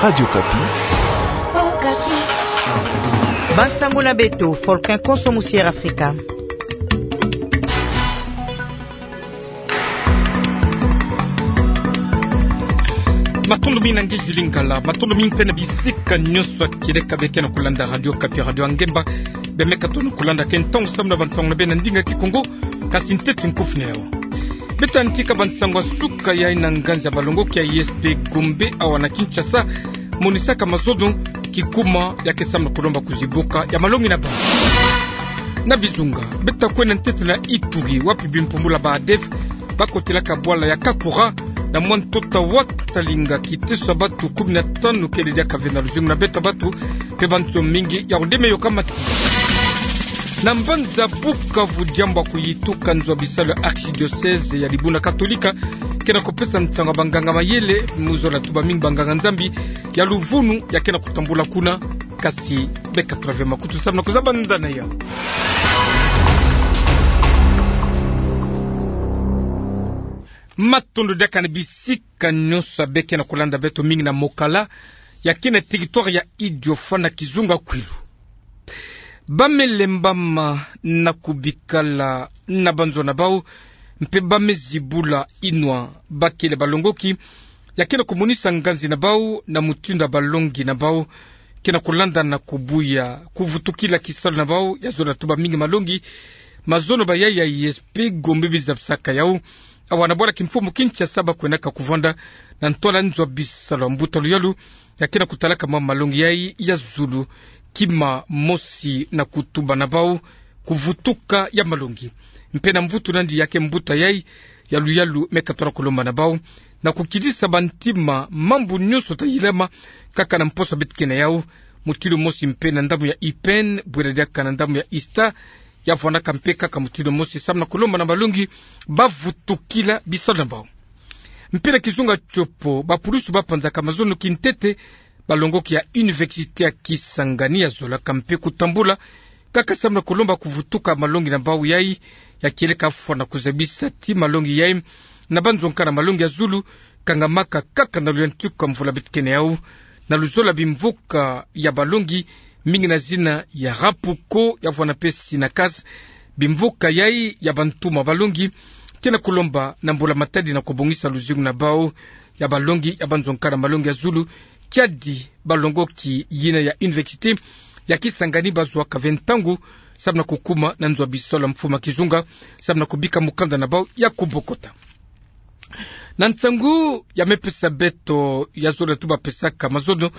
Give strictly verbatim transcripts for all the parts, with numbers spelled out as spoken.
Radio Okapi. Bansango na beto, Folkin Konso, musi Air Afrika. Matondo mingi na ngizi Lingala, matondo mingi mpe na bisika nyonso ya kieleka bie ke na kulanda Radio Okapi, radio ya ngemba. Bie meka tona kulanda ke ntangu samu na bansango na bie na ndinga Kikongo, kasi ntete nkufi na yau. Beta ntika bansango ya suka yayi na nganzi ya balongoki ya I S P Gombe awa na Kinshasa, monisaka mazono kikuma ya ke samu na kulomba kuzibuka ya malongi na bau. Na Bizunga, beta kwenda ntete na Ituri, wapi bimpumbulu ya ba ADF bakotelaka bwala ya Kakura, na mwa ntoto wa talinga kiteso ya batu kumi na tanu kele diaka ve na luzingu na beto ya batu, mpe banso mingi ya kudeme yokamati. Na mbanza Bukavu, diambu ya kuyituka nzo ya bisalu ya archidiocèse ya Libuna Katolika ke na kupesa nsangu ya banganga-mayele, mu zola tuba mingi banganga-Nzambi ya luvunu ya ke na kutambula kuna, kasi beka tula ve makutu samu na kuzaba ndani ya yau. Matondo diaka na bisika nyonso ya bie ke na kulanda beto, mingi na Mokala, ya ke na territoire ya Idiofa na kizunga Kwilu. Bamele mbama na kubikala na banzo na bau, mpe bamezibula inwa bakele balongoki, ya ke na kumonisa nganzi na bau na mutindu ya balongi na bau ke na kulanda na kubuya kuvutukila kisalu na bau ya zola tuba mingi malongi. Mazono bayayi ya I S P Gombe bizabisaka yau, awa na bwala kimfumu Kinshasa bakwendaka kuvanda na ntwala nzo ya bisalu ya mbuta luyalu ya ke na kutalaka mwa malongi yayi ya zulu, kima mosi na kutuba na bau kuvutuka ya malongi. Mpe na mvutu nandi ya ke mbuta yayi ya luyalu meka tona kulomba na bau na kukidisa bantima mambu nyonso ta yilama kaka na mposo beto ke na yau, mutindu mosi mpe na ndambu ya I P N, bwela diaka na ndambu ya ISTA, ya vwandaka mpe kaka mutindu mosi samu na kulomba na balongi bavutukila bisalu na bau. Mpe na kizunga Tshopo, bapulusu bapanzaka mazono kintete balongoki ya Université ya Kisangani ya zolaka mpe kutambula kaka samu na kulomba kuvutuka malongi na bau yayi ya kieleka fwana kuzabisa ti malongi yayi na banzo nkana malongi ya zulu kangamaka kaka na luyantiku ya mvula beto ke na yau, na luzolo ya bimvuka ya balongi, mingi na zina ya Rapuko ya vwana mpe Sinakas. Bimvuka yayi ya bantuma balongi ke na kulomba na mbula matadi na kubongisa luzingu na bau ya balongi ya banzo nkana malongi ya zulu, kiadi balongoki yina ya Université ya Kisangani bazwaka ve ntangu samu na kukuma na nzo ya bisalu ya mfumu ya kizunga samu na kubika mukanda na bau ya kubokota. Na nsangu ya mepesa beto ya zola tuba pesaka mazono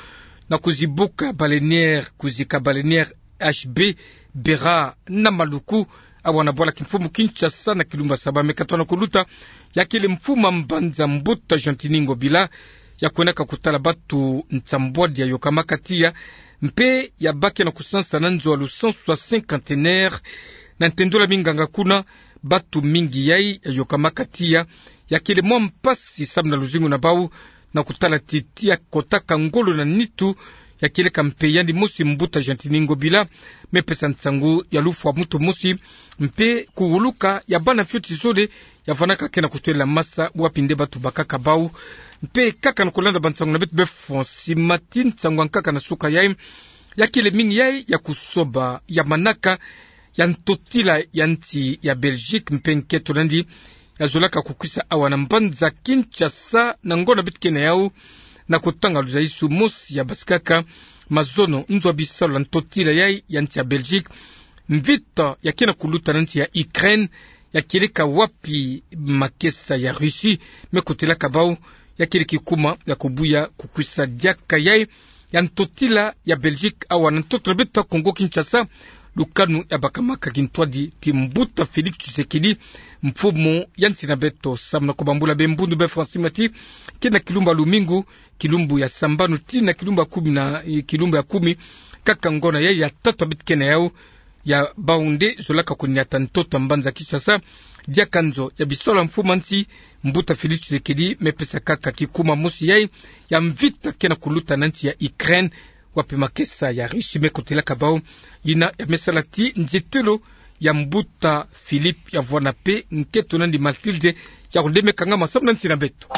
na kuzibuka baleinière, kuzika baleinière H B Bera na Maluku, awa na bwala kimfumu Kinshasa na kilumbu ya saba meka tona kuluta, ya kele mfumu ya mbanza mbuta Gentiny Ngobila, ya kwendaka kutala batu nsambwadi ya yokamaka tiya, mpe ya bake na kusansa na nzo ya lusansu ya cinquantenaire. Na ntendola minganga kuna, batu mingi yayi ya yokamaka tiya, ya kele mwa mpasi samu na luzingu na bau, na kutala ti tiya kotaka ngolo na nitu, ya kieleka mpe yandi mosi mbuta Gentiny Ngobila mepesa nsangu ya lufwa muntu mosi, mpe kuwuluka ya bana fioti zole ya vwanaka ke na kutwela masa wapi nde batu bakaka bau. Mpe kaka na kulanda bansangu na beto be Francis Mati, nsangu ya nkaka na suka yayi, ya kele mingi yayi ya kusoba ya manaka ya ntotila ya nsi ya Belgique, mpe nketo nandi ya zolaka kukwisa awa na mbanza Kinshasa na ngonda beto ke na yau, na kutanga luzayisu mosi ya basikaka mazono nzo ya bisalu ya ntotila yayi ya nsi ya Belgique, mvita ya ke na kuluta na nsi ya Ukraine, ya kieleka wapi makesa ya Russie me kotelaka bau, ya kele kikuma ya kubuya kukwisa diaka yayi ya ntotila ya Belgique awa na ntoto na beto Kongo Kinshasa, lukanu ya bakamaka kintwadi ti mbuta Félix Tshisekedi, mfumu ya nsi na beto. Samu na kubambula be mbundu be Francis Mati, ke na kilumbu ya lumingu, kilumbu ya sambanu tii na kilumbu ya kumi na, eh, kilumbu ya kumi, kaka ngonda yayi ya tatu ya beto ke na yau, ya bau nde zolaka kunyata ntoto ya mbanza Kinshasa, diaka nzo ya bisalu ya mfumu ya nsi, mbuta Félix Tshisekedi mepesa kaka kikuma mosi yayi ya mvita ke na kuluta na nsi ya Ukraine, wapi makesa ya Russie me kotelaka bau, yina ya mesala ti nzietelo ya mbuta Philippe ya vwana mpe nketo nandi Mathilde, ya kundeme kangama samu na nsi na beto.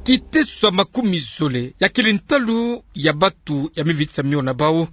Kiteso ya makumi zole ya kele ntalu ya batu ya mivitu sa mio na bau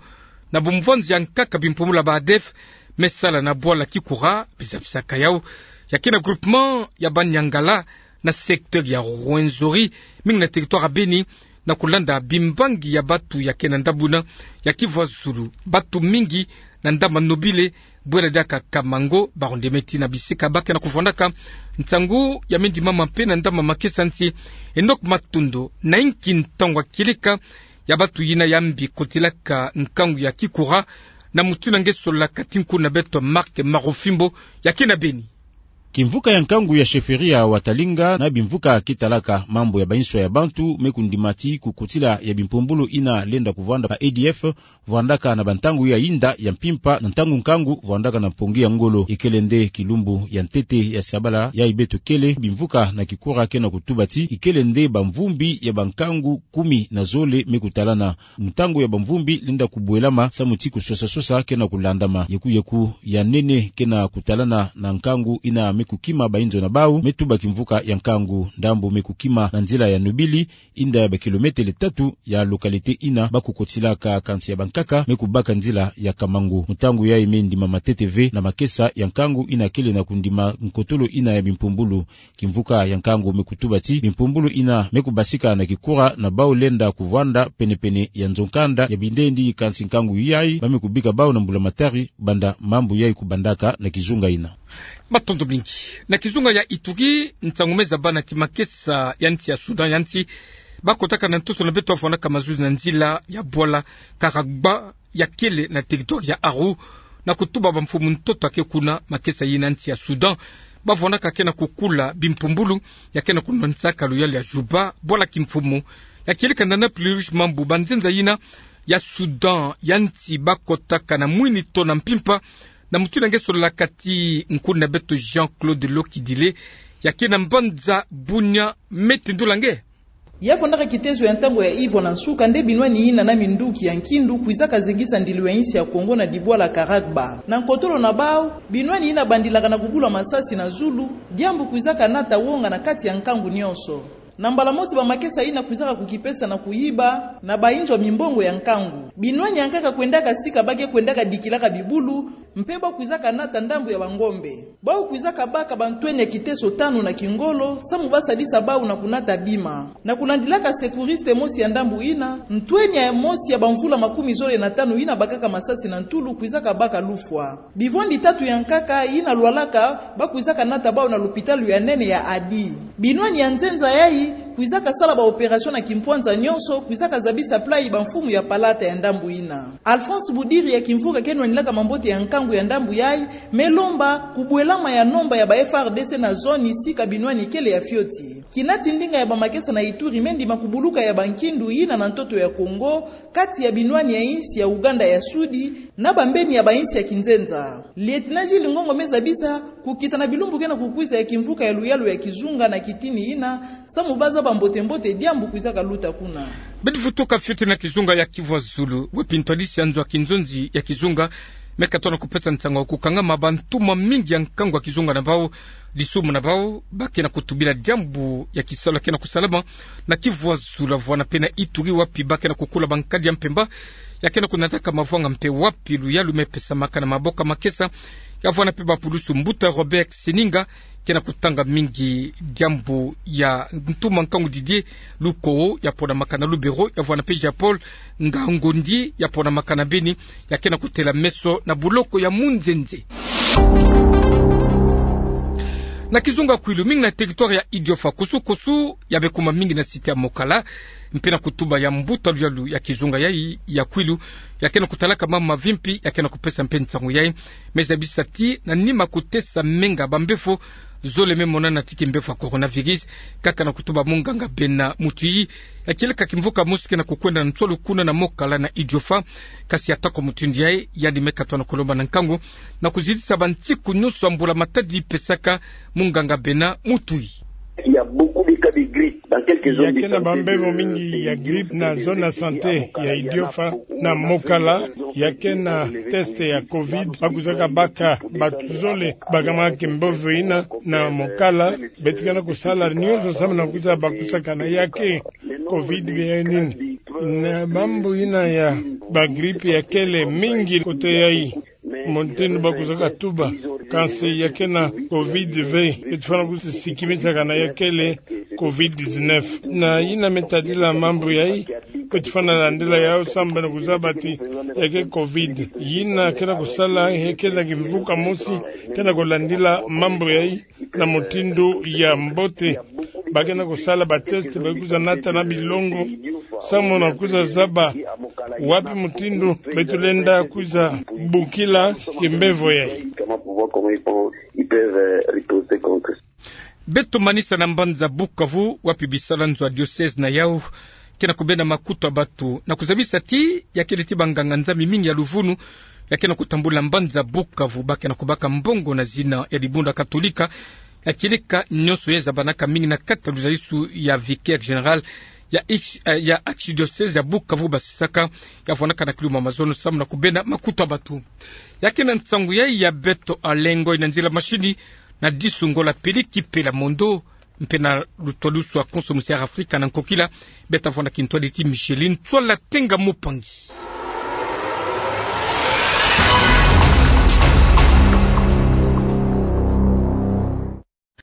na bumvwanzi ya nkaka bimpumbulu ya ba ADF me sala na bwala Kikura, bizabisaka yau, ya ke na groupement ya Baniangala, na secteur ya Rwenzori, mingi na territoire ya Beni, na kulanda bimbangi ya batu ya ke na ndabuna ya Kivu ya Zulu. Batu mingi na ndama nobile, bwela diaka Kamango, barundemeti na bisika ba ke na kuvwandaka nsangu ya mendimama mpe na ndama makesa nsi. Enoch Matondo, na inki ntangu ya kieleka ya batu yina ya mbi kotilaka nkangu ya Kikura, na mutindu nge solaka ti nkuna beto Marc Marofimbo, ya ke na Beni. Kimvuka ya nkangu ya chefferie ya Watalinga na bimvuka kitalaka mambu ya bainso ya bantu me kundima ti kukotila ya bimpumbulu yina lenda kuvwanda ba ADF, vwandaka na bantangu ya inda ya mpimpa na ntangu nkangu vwandaka na mpongi ya ngolo. Ikele nde kilumbu ya ntete ya sabala yayi beto kele bimvuka na Kikura ke na kutuba ti ikele nde bamvumbi ya bankangu kumi na zole me kutalana. Mutangu ya bamvumbi lenda kubwelama samu ti kuswasaswasa ke na kulandama. Yekuyeku ya nene ke na kutalana na nkangu yina me kukima bainzo na bau, me tuba kimvuka ya nkangu. Ndambu me kukima na nzila ya nobili, inda ya bakilometele tatu ya localité yina ba kukotilaka, kansi ya bankaka me kubaka nzila ya Kamango. Mutangu yayi me ndima matete ve na makesa ya nkangu yina kele na kundima nkotolo yina ya bimpumbulu. Kimvuka ya nkangu me kutuba ti bimpumbulu yina me kubasika na Kikura na bau lenda kuvwanda penepene ya nzo nkanda ya bindendi, kansi nkangu yayi ba me kubika bau na mbulamatari banda mambu yayi kubandaka na kizunga yina. Matondo mingi. Na kizunga ya Ituri, nsangu me zaba na kimakesa ya nsi ya Soudan ya nsi, ba kotaka na ntoto na beto ba vwandaka mazuzi na nzila ya bwala Karagba, ya kele na territoire ya Aru, na kutuba bamfumu ntoto ya ke kuna, makesa yina nsi ya Soudan ba vwandaka ke na kukula bimpumbulu ya ke na kunwanisaka luyalu ya Juba, bwala kimfumu. Ya kieleka na Nablus mambu banzenza yina ya Soudan ya nsi ba kotaka na mwini to na mpimpa, na mutindu nge solaka ti nkuna beto Jean-Claude Lokidile, ya ke na mbanza Bunia, me tendula nge. Ya kwendaka kitezo ya ntangu ya ivo na nsuka nde binwani yina na minduki ya nkindu kwizaka zengisa ndilu ya insi ya Kongo na dibwala Karagba. Na nkotolo na bau, binwani yina bandilaka na kubula masasi na zulu, diambu kwizaka nata wonga na kati ya nkangu nyonso. Na mbala mosi bamakesa yina kwizaka kukipesa na kuyiba na bainzo ya mimbongo ya nkangu. Binwani ya nkaka kwendaka sika ba ke kwendaka dikilaka bibulu, mpe ba kwizaka nata ndambu ya bangombe. Bau kwizaka baka bantwenia ya kiteso tanu na kingolo, samu ba sadisa bau na kunata bima. Na kulandilaka secouriste mosi ya ndambu yina, ntwenia mosi ya bamvula makumi zole na tanu yina bakaka masasi na ntulu kwizaka baka lufwa. Bivwandi tatu ya nkaka yina lwalaka, ba kwizaka nata bau na lupitalu ya nene ya Adi. Binwani ya nzenza yayi kwizaka sala ba opération na kimpwanza nyonso, kwizaka zabisa playi bamfumu ya palata ya ndambu yina. Alphonse Budiri ya kimvuka ke nwanilaka mambote ya nkangu ya ndambu yayi, me lomba kubwelama ya nomba ya ba F A R D C na zone sika binwani kele ya fioti. Kinati ndinga ya bamakesa na Ituri, me ndima kubuluka ya bankindu yina na ntoto ya Kongo, kati ya binwani ya insi ya Uganda ya Sudi na bambeni ya bainsi ya kinzenza. Lieutenant Gilles Ngongo me zabisa kukita na bilumbu ke na kukwiza ya kimvuka ya luyalu ya kizunga na kitini yina, samu ba zaba mbote-mbote diambu kwizaka luta kuna. Bidi vutuka fioti na kizunga ya Kivu ya Zulu, wapi ntwadisi ya nzo ya kinzonzi ya kizunga me katona kupesa nsangu ya kukangama bantuma mingi ya nkangu ya kizunga na bau, disumu na bau, ba ke na kutubila diambu ya kisalu ya ke na kusalama na Kivu ya Zulu, vwana mpe na Ituri, wapi ba ke na kukula bankadi ya mpemba ya ke na kunataka mavwanga, mpe wapi luyalu me pesamaka na maboko ya makesa, ya vwana mpe bapulusu. Mbuta Robert Seninga ke na kutanga mingi diambu ya ntuma nkangu Didier Luko, ya ponamaka na Lubero, ya vwana mpe Jean-Paul Ngangondi, ya ponamaka na Beni, ya ke na kutela meso na buloko ya Munzenze. Na kizunga Kwilu, mingi na territoire ya Idiofa, kusu-kusu ya Bekuma, mingi na site ya Mokala, mpe na kutuba ya mbuta luyalu ya kizunga yayi ya Kwilu, ya ke na kutalaka mama mavimpi, ya ke na kupesa mpe nsangu yayi, me zabisa ti na nima kutesa menga bambefo zole me monana ti kimbevo ya coronavirus, kaka na kutuba munganga Bena Mutuyi. Ya kieleka kimvuka mosi ke na kukwenda na nswalu kuna na Mokala na Idiofa, kasi atako mutindu yayi, yandi me katona kulomba na nkangu na kuzitisa bansiku nyonso ya mbula-matadi pesaka munganga Bena Mutuyi. Il y a beaucoup de cas de grippe dans Ya ke na bambevo mingi ya grippe na zone ya santé ya Idiofa na Mokala. Ya ke na test ya covid, ba kwisaka baka bato zole bakamanaka kimbevo ina na Mokala. Beto ke na kusala nyonso samu na kwiza bakusakana ya ke covid bia nini. Na mambu ina ya ba grippe ya kele mingi kote yai, mutindu ba kwisaka tuba. Kansi ya ke na covid ve, beto fwana kwiza sikimisakana ya kele covid dix-neuf. Na ina me tadila mambu yai, beto fwana landila yau samu na kuzaba ti ya ke covid. Ina ke na kusala, ya ke na kimvuka mosi, ke na kulandila mambu yai na mutindu ya mbote. Ba ke na kusala ba test, ba kwiza nata na bilongo samu na kwiza zaba wapi mutindu beto lenda kwiza bukila kimbevo yai. Beto manisa na mbanza Bukavu, wapi bisalanzo ya diocèse na yau ke na kubenda makutu ya bato na kuzabisa ti ya kele ti banganga-Nzambi mingi ya luvunu ya ke na kutambula mbanza Bukavu, ba ke na kubaka mbongo na zina ya dibundu ya Katolika, ya kieleka nyonso ya zabanaka mingi na kati ya luzalisu ya vicaire général ya ex-, eh, ya archidiocèse ya Bukavu, basisaka, ya vwanaka na kiluma mazono samu na kubenda makutu ya bato. Ya ke na nsangu yai ya beto alengwa na nzila mashini na disu Ngola Peliki Pela Mondo, mpe na lutwadusu ya konso musi ya Afrika na nkokila, beto vwanda kintwadi ti Micheline Tswala Tenga Mupangi.